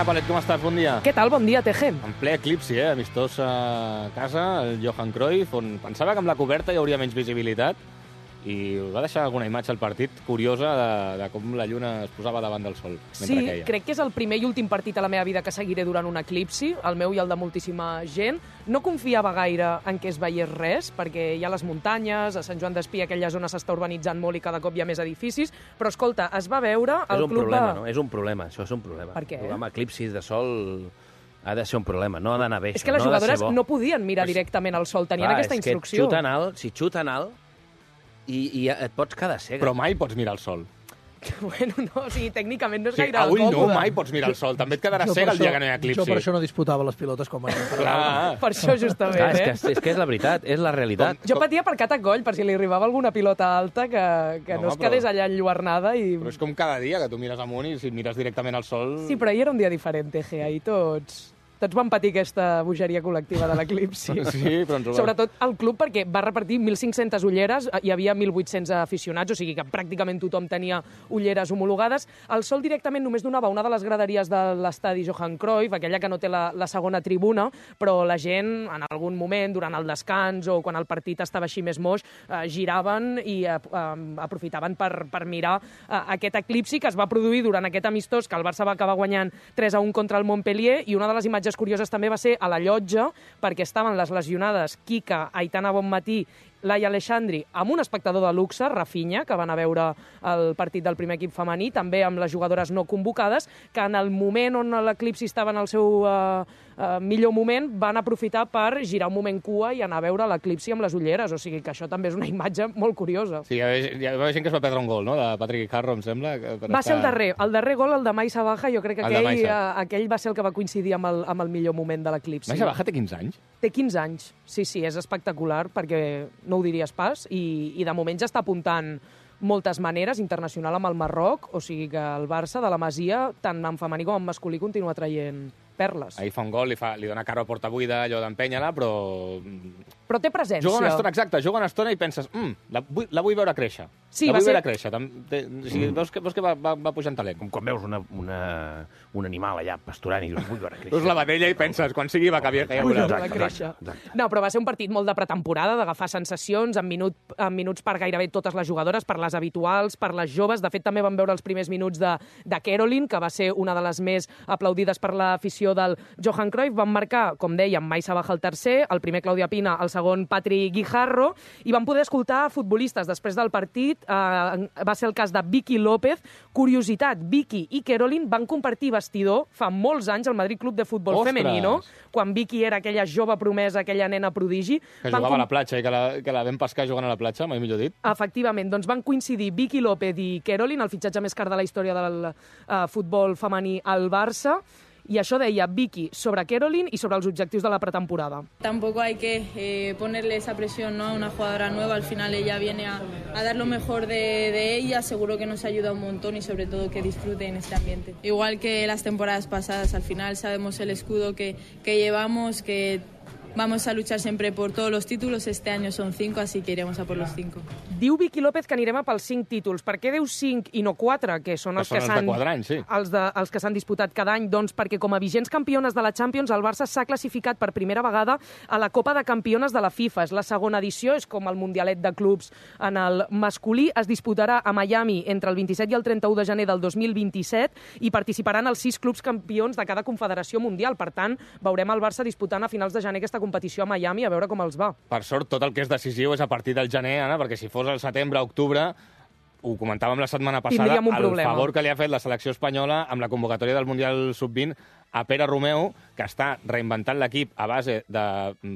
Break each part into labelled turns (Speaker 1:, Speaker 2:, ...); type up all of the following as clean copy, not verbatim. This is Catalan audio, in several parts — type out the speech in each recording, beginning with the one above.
Speaker 1: Anna Palet, com estàs? Bon dia.
Speaker 2: Què tal? Bon dia, Teje.
Speaker 1: En ple eclipsi, amistós a casa, el Johan Cruyff, on pensava que amb la coberta hi hauria menys visibilitat, i va deixar alguna imatge al partit curiosa de com la lluna es posava davant del sol mentre queia.
Speaker 2: Crec que és el primer i últim partit a la meva vida que seguiré durant un eclipsi, el meu i el de moltíssima gent. No confiava gaire en què es veiés res, perquè hi ha les muntanyes, a Sant Joan d'Espí aquella zona s'està urbanitzant molt i cada cop hi ha més edificis, però escolta, es va veure el club
Speaker 3: no? És un problema, això és un problema.
Speaker 2: Per què?
Speaker 3: Jugar amb eclipsis de sol ha de ser un problema, no ha d'anar bé.
Speaker 2: És que les jugadores no podien mirar directament al sol, tenien aquesta instrucció.
Speaker 3: Si xuten alt, i et pots quedar cega.
Speaker 1: Però mai pots mirar el sol.
Speaker 2: Bueno, no, o sigui, tècnicament no és gaire
Speaker 1: avui
Speaker 2: còmode.
Speaker 1: No, mai pots mirar el sol. També et quedaràs cega el dia que no hi ha eclipsi.
Speaker 4: Jo per això no disputava les pilotes com a...
Speaker 2: Per això, justament,
Speaker 3: És que és la veritat, és la realitat.
Speaker 2: Jo patia per cat a coll, per si li arribava alguna pilota alta que no es quedés allà enlluernada.
Speaker 1: Però és com cada dia, que tu mires amunt i si mires directament al sol...
Speaker 2: Sí, però ahir era un dia diferent, Teje. Ahir tots van patir aquesta bogeria col·lectiva de l'eclipsi.
Speaker 1: Sí, però ens ho va...
Speaker 2: Sobretot el club, perquè va repartir 1.500 ulleres, hi havia 1.800 aficionats, o sigui que pràcticament tothom tenia ulleres homologades. El sol directament només donava una de les graderies de l'estadi Johan Cruyff, aquella que no té la segona tribuna, però la gent, en algun moment, durant el descans o quan el partit estava així més moix, giraven i aprofitaven per mirar aquest eclipsi que es va produir durant aquest amistós, que el Barça va acabar guanyant 3-1 contra el Montpellier, i una de les imatges curioses també va ser a la llotja, perquè estaven les lesionades Kika, Aitana Bonmatí, Laia Aleixandri, amb un espectador de luxe, Rafinha, que van a veure el partit del primer equip femení, també amb les jugadores no convocades, que en el moment on l'eclipsi estava en el seu millor moment, van aprofitar per girar un moment cua i anar a veure l'eclipsi amb les ulleres, o sigui que això també és una imatge molt curiosa.
Speaker 1: Sí, hi va haver gent que es va perdre un gol, no?, de Patrick Harro, em sembla.
Speaker 2: Va ser el darrer gol, el de Maisa Baja, jo crec que aquell va ser el que va coincidir amb el millor moment de l'eclipsi.
Speaker 1: Maisa Baja té 15 anys?
Speaker 2: Té 15 anys, sí, és espectacular, perquè no ho diries pas, i de moment ja està apuntant moltes maneres, internacional amb el Marroc, o sigui que el Barça de la Masia, tant en femení com en masculí, continua traient perles.
Speaker 1: Ahir fa un gol, li dona cara a porta buida, allò d'empènyer-la,
Speaker 2: però té presència.
Speaker 1: Juga una estona i penses, la vull veure créixer.
Speaker 2: Sí,
Speaker 1: la vull veure créixer. Veus que va pujant talent.
Speaker 3: Com quan veus un animal allà pasturant i dius, vull veure créixer.
Speaker 1: Veus la vedella i penses, quan sigui va canviar que
Speaker 2: Exacte. No, però va ser un partit molt de pretemporada, d'agafar sensacions, en minuts per gairebé totes les jugadores, per les habituals, per les joves. De fet, també vam veure els primers minuts de Caroline, que va ser una de les més aplaudides per l'afició del Johan Cruyff. Van marcar, com dèiem, Maisa Baja el tercer, el primer Claudia Pina, el segon Patrick Guijarro, i van poder escoltar futbolistes després del partit. Va ser el cas de Vicky López. Curiositat, Vicky i Caroline van compartir vestidor fa molts anys al Madrid Club de Futbol Femenino, quan Vicky era aquella jove promesa, aquella nena prodigi.
Speaker 1: Que jugava a la platja i que la vam pescar jugant a la platja, mai millor dit.
Speaker 2: Efectivament, doncs van coincidir Vicky López i Caroline, el fitxatge més car de la història del futbol femení al Barça. Y això deia Vicky sobre Caroline y sobre los objetivos de la pretemporada.
Speaker 5: Tampoco hay que ponerle esa presión, ¿no?, a una jugadora nueva. Al final ella viene a dar lo mejor de ella. Seguro que nos ayuda un montón y sobre todo que disfrute en este ambiente. Igual que las temporadas pasadas, al final sabemos el escudo que llevamos, que vamos a luchar siempre por todos los títulos. Este año son 5, así que iremos a por los 5.
Speaker 2: Diu Vicky López que anirem a pels 5 títols. Per què diu 5 i no 4, que són els que s'han disputat cada any? Doncs perquè com a vigents campiones de la Champions, el Barça s'ha classificat per primera vegada a la Copa de Campiones de la FIFA. És la segona edició, és com el Mundialet de Clubs en el masculí. Es disputarà a Miami entre el 27 i el 31 de gener del 2027 i participaran els 6 clubs campions de cada confederació mundial. Per tant, veurem el Barça disputant a finals de gener aquesta competició a Miami, a veure com els va.
Speaker 1: Per sort, tot el que és decisiu és a partir del gener, Anna, perquè si fos al setembre, octubre, ho comentàvem la setmana passada, el favor que li ha fet la selecció espanyola amb la convocatòria del Mundial Sub-20 a Pere Romeu, que està reinventant l'equip a base de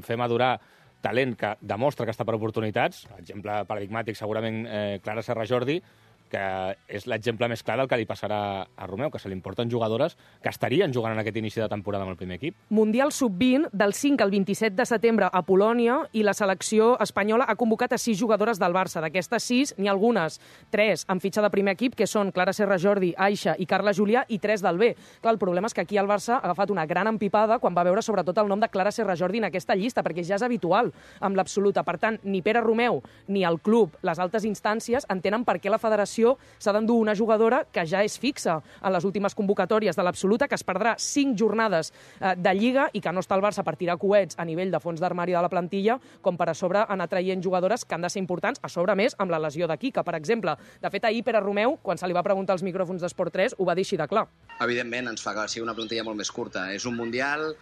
Speaker 1: fer madurar talent que demostra que està per oportunitats. Exemple paradigmàtic, segurament, Clara Serra Jordi, que és l'exemple més clar del que li passarà a Romeu, que se li importen jugadores que estarien jugant en aquest inici de temporada amb el primer equip.
Speaker 2: Mundial Sub-20 del 5 al 27 de setembre a Polònia, i la selecció espanyola ha convocat a 6 jugadores del Barça. D'aquestes 6, n'hi ha algunes, 3 amb fitxa de primer equip, que són Clara Serra Jordi, Aixa i Carla Julià, i 3 del B. Clar, el problema és que aquí el Barça ha agafat una gran empipada quan va veure sobretot el nom de Clara Serra Jordi en aquesta llista, perquè ja és habitual amb l'absoluta. Per tant, ni Pere Romeu ni el club, les altes instàncies, entenen per què la federació selecció s'ha d'endur una jugadora que ja és fixa en les últimes convocatòries de l'absoluta, que es perdrà 5 jornades de Lliga i que no està al Barça per tirar coets a nivell de fons d'armari de la plantilla, com per a sobre anar traient jugadores que han de ser importants, a sobre més amb la lesió de Kika, per exemple. De fet, ahir Pere Romeu, quan se li va preguntar als micròfons d'Esport 3, ho va dir així de clar.
Speaker 6: Evidentment, ens fa que sigui una plantilla molt més curta. És un mundial,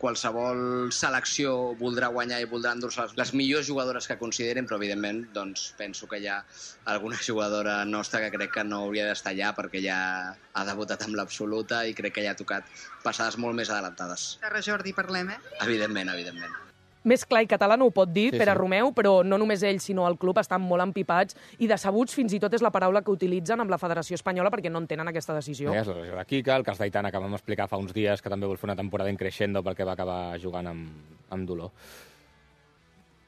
Speaker 6: qualsevol selecció voldrà guanyar i voldrà endur-se les millors jugadores que consideren, però evidentment doncs, penso que hi ha alguna jugadora nostra que crec que no hauria d'estar allà perquè ja ha debutat amb l'absoluta i crec que ja ha tocat passades molt més adelantades.
Speaker 7: Carles Jordi, parlem,
Speaker 6: Evidentment.
Speaker 2: Més clar i català no ho pot dir, Pere Romeu, però no només ell, sinó el club estan molt empipats i decebuts fins i tot és la paraula que utilitzen amb la Federació Espanyola perquè no entenen aquesta decisió.
Speaker 1: És la lesió de Kika, el cas d'Aitana, que vam explicar fa uns dies, que també vol fer una temporada in crescendo perquè va acabar jugant amb dolor.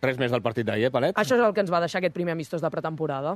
Speaker 1: Res més del partit d'ahir, Palet?
Speaker 2: Això és el que ens va deixar aquest primer amistós de pretemporada.